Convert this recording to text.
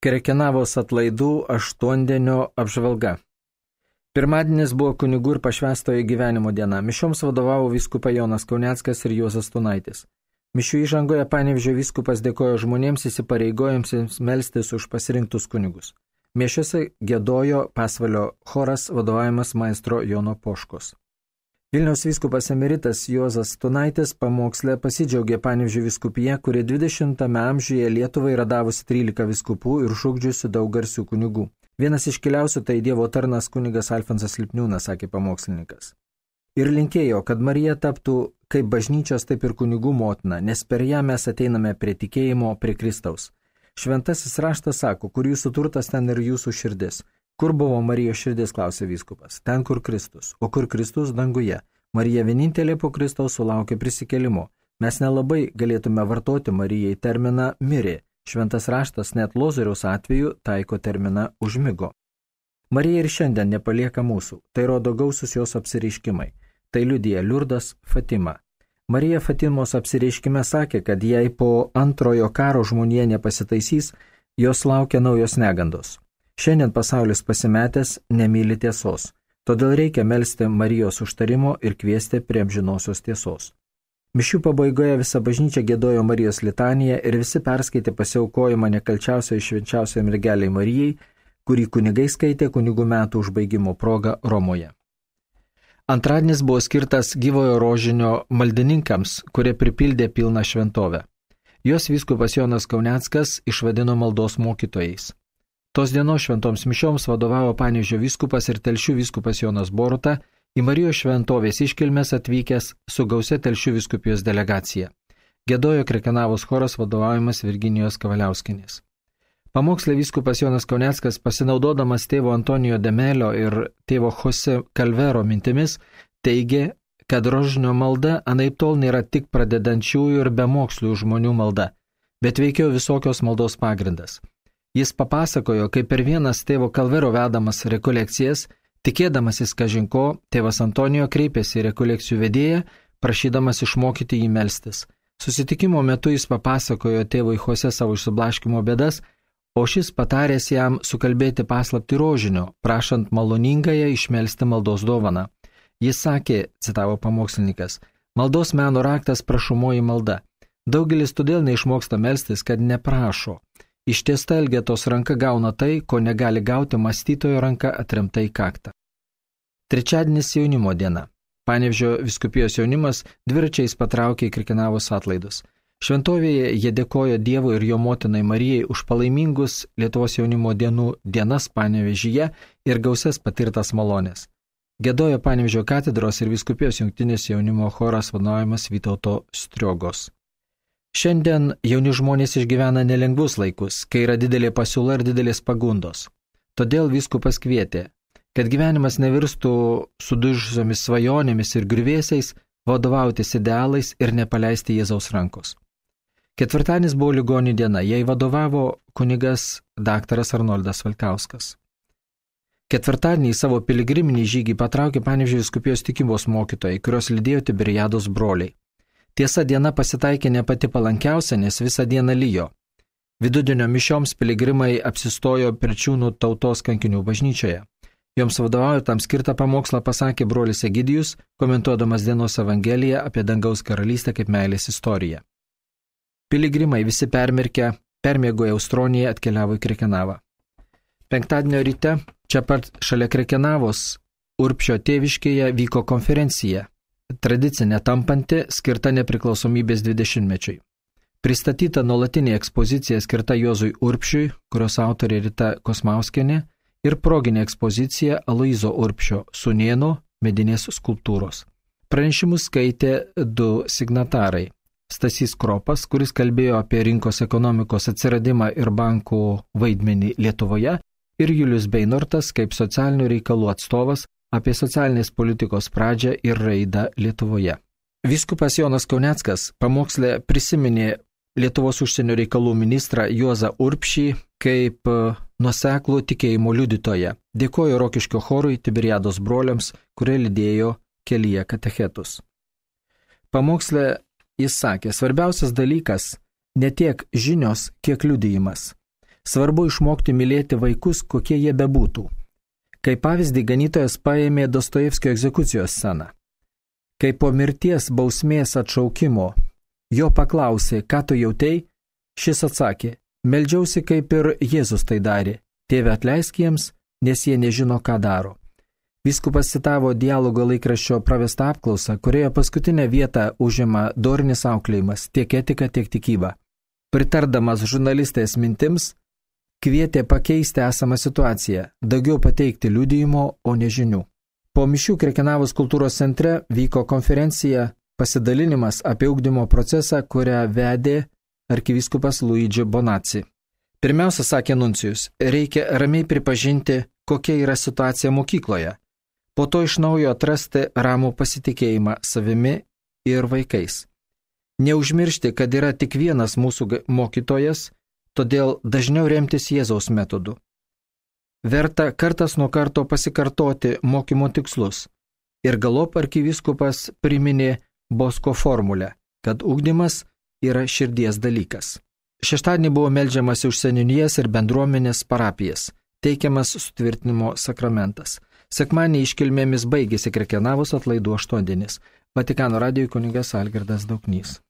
Krekenavos atlaidų aštuondienio apžvalga. Pirmadienis buvo kunigų ir pašvęstojo gyvenimo diena. Mišioms vadovavo vyskupai Jonas Kauneckas ir Juozas Stunaitis. Mišių įžangoje Panevėžio vyskupas dėkojo žmonėms įsipareigojusiems melstis už pasirinktus kunigus. Mišiose giedojo Pasvalio choras vadovavimas maestro Jono Poškos. Vilniaus vyskupas emeritas Juozas Stunaitis pamoksle pasidžiaugė Panevėžio vyskupija, kuri 20 amžiuje Lietuvai yra davusi 13 vyskupų ir šūkdžiusi daug garsių kunigų. Vienas iškiliausių tai Dievo tarnas kunigas Alfonsas Lipniūnas, sakė pamokslininkas. Ir linkėjo, kad Marija taptų kaip bažnyčios, taip ir kunigų motina, nes per ją mes ateiname prie tikėjimo, prie Kristaus. Šventasis raštas sako, kur jūsų turtas, ten ir jūsų širdis. Kur buvo Marijos širdis, klausė vyskupas. Ten, kur Kristus. O kur Kristus, danguje. Marija vienintelė po Kristaus sulaukė prisikėlimo. Mes nelabai galėtume vartoti Marijai terminą mirė. Šventas raštas net Lozoriaus atveju taiko terminą užmigo. Marija ir šiandien nepalieka mūsų. Tai rodo gausus jos apsireiškimai. Tai liudija Liurdas Fatima. Marija Fatimos apsireiškime sakė, kad jei po antrojo karo žmonija nepasitaisys, jos laukia naujos negandos. Šiandien pasaulis pasimetęs nemyli tiesos, todėl reikia melsti Marijos užtarimo ir kviesti prie amžinosios tiesos. Mišių pabaigoje visa bažnyčia giedojo Marijos litaniją ir visi perskaitė pasiaukojimą nekalčiausiai švenčiausiai mergeliai Marijai, kurį kunigai skaitė kunigų metų užbaigimo proga Romoje. Antradienis buvo skirtas gyvojo rožinio maldininkams, kurie pripildė pilną šventovę. Jos vyskupas Jonas Kauneckas išvadino maldos mokytojais. Tos dienos šventoms mišioms vadovavo Panevėžio vyskupas ir Telšių vyskupas Jonas Boruta, į Marijos šventovės iškilmes atvykęs su gausia Telšių vyskupijos delegacija. Giedojo Krekenavos choras vadovaujamas Virginijos Kavaliauskienės. Pamokslė vyskupas Jonas Kauneckas, pasinaudodamas tėvo Antonijo Demelio ir tėvo Jose Kalvero mintimis, teigė, kad rožinio malda anaiptol nėra tik pradedančiųjų ir bemokslių žmonių malda, bet veikiau visokios maldos pagrindas. Jis papasakojo, kaip per vienas tėvo Kalvero vedamas rekolekcijas, tikėdamasis kažinko, tėvas Antonijo kreipėsi į rekolekcijų vedėją, prašydamas išmokyti jį melstis. Susitikimo metu jis papasakojo tėvui Jose savo išsiblaškymo bėdas, o šis pataręs jam sukalbėti paslaptį rožinio, prašant maloningąją išmelsti maldos dovaną. Jis sakė, citavo pamokslininkas, maldos meno raktas prašomoji malda. Daugelis todėl neišmoksta melstis, kad neprašo. Ištiesta elgetos ranka gauna tai, ko negali gauti mąstytojo ranka atremta į kaktą. Trečiadienis jaunimo diena. Panevėžio vyskupijos jaunimas dviračiais patraukė į Krekenavos atlaidus. Šventovėje jie dėkojo Dievui ir jo motinai Marijai už palaimingus Lietuvos jaunimo dienų dienas Panevėžyje ir gausias patirtas malonės. Giedojo Panevėžio katedros ir vyskupijos jungtinis jaunimo choras vadovaujamas Vytauto Striogos. Šiandien jauni žmonės išgyvena nelengvus laikus, kai yra didelė pasiūla ir didelės pagundos. Todėl vyskupas kvietė, kad gyvenimas nevirstų sudužusiomis svajonėmis ir griuvėsiais, vadovautis idealais ir nepaleisti Jėzaus rankos. Ketvirtadienis buvo ligonių diena, jai vadovavo kunigas daktaras Arnoldas Valkauskas. Ketvirtadienį savo piligriminį žygį patraukė Panevėžio vyskupijos tikybos mokytojai, kurios lydėjo Tiberiados broliai. Tiesa, diena pasitaikė ne pati palankiausia, nes visą dieną lijo. Vidudienio mišioms piligrimai apsistojo Perčiūnų tautos kankinių bažnyčioje. Joms vadovauja tam skirtą pamokslą pasakė brolis Egidijus, komentuodamas dienos evangeliją apie dangaus karalystę kaip meilės istoriją. Piligrimai visi permiegoję Austroniją atkeliavo į Krekenavą. Penktadienio ryte, čia pat šalia Krekenavos, Urbšio tėviškėje vyko konferencija. Tradicinė tampanti, skirta nepriklausomybės 20-mečiui. Pristatyta nuolatinė ekspozicija skirta Juozui Urbšiui, kurios autorė Rita Kosmauskienė, ir proginė ekspozicija Aloyzo Urbšio sūnėno medinės skulptūros. Pranešimus skaitė du signatarai. Stasys Kropas, kuris kalbėjo apie rinkos ekonomikos atsiradimą ir bankų vaidmenį Lietuvoje, ir Julius Beinortas kaip socialinių reikalų atstovas apie socialinės politikos pradžią ir raidą Lietuvoje. Vyskupas Jonas Kauneckas pamokslė prisiminė Lietuvos užsienio reikalų ministrą Juozą Urbšį kaip nuoseklų tikėjimo liudytoją. Dėkojo Rokiškio chorui Tiberiados broliams, kurie lydėjo kelyje katechetus. Pamokslė jis sakė, svarbiausias dalykas ne tiek žinios, kiek liudijimas. Svarbu išmokti mylėti vaikus, kokie jie bebūtų. Kaip pavyzdį ganytojas paėmė Dostojevskio egzekucijos sceną. Kai po mirties bausmės atšaukimo jo paklausė, ką tu jautei, šis atsakė, meldžiausi kaip ir Jėzus tai darė, Tėve atleisk jiems, nes jie nežino, ką daro. Vyskupas citavo Dialogo laikraščio pravestą apklausą, kurioje paskutinę vietą užima dorinis auklėjimas, tiek etika, tiek tikyba. Pritardamas žurnalistės mintims, kvietė pakeisti esamą situaciją, daugiau pateikti liudijimo, o ne žinių. Po mišių Krekenavos kultūros centre vyko konferencija pasidalinimas apie ugdymo procesą, kurią vedė arkivyskupas Luigi Bonazzi. Pirmiausia, sakė nuncijus, reikia ramiai pripažinti, kokia yra situacija mokykloje. Po to iš naujo atrasti ramų pasitikėjimą savimi ir vaikais. Neužmiršti, kad yra tik vienas mūsų mokytojas, todėl dažniau remtis Jėzaus metodu. Verta kartas nuo karto pasikartoti mokymo tikslus. Ir galop arkivyskupas priminė Bosko formulę, kad ugdymas yra širdies dalykas. Šeštadienį buvo meldžiamasi už seniūnijas ir bendruomenės parapijas, teikiamas sutvirtinimo sakramentas. Sekmadienį iškilmėmis baigėsi Krekenavos atlaidų aštuondienis. Vatikano radijui kunigas Algirdas Dauknys.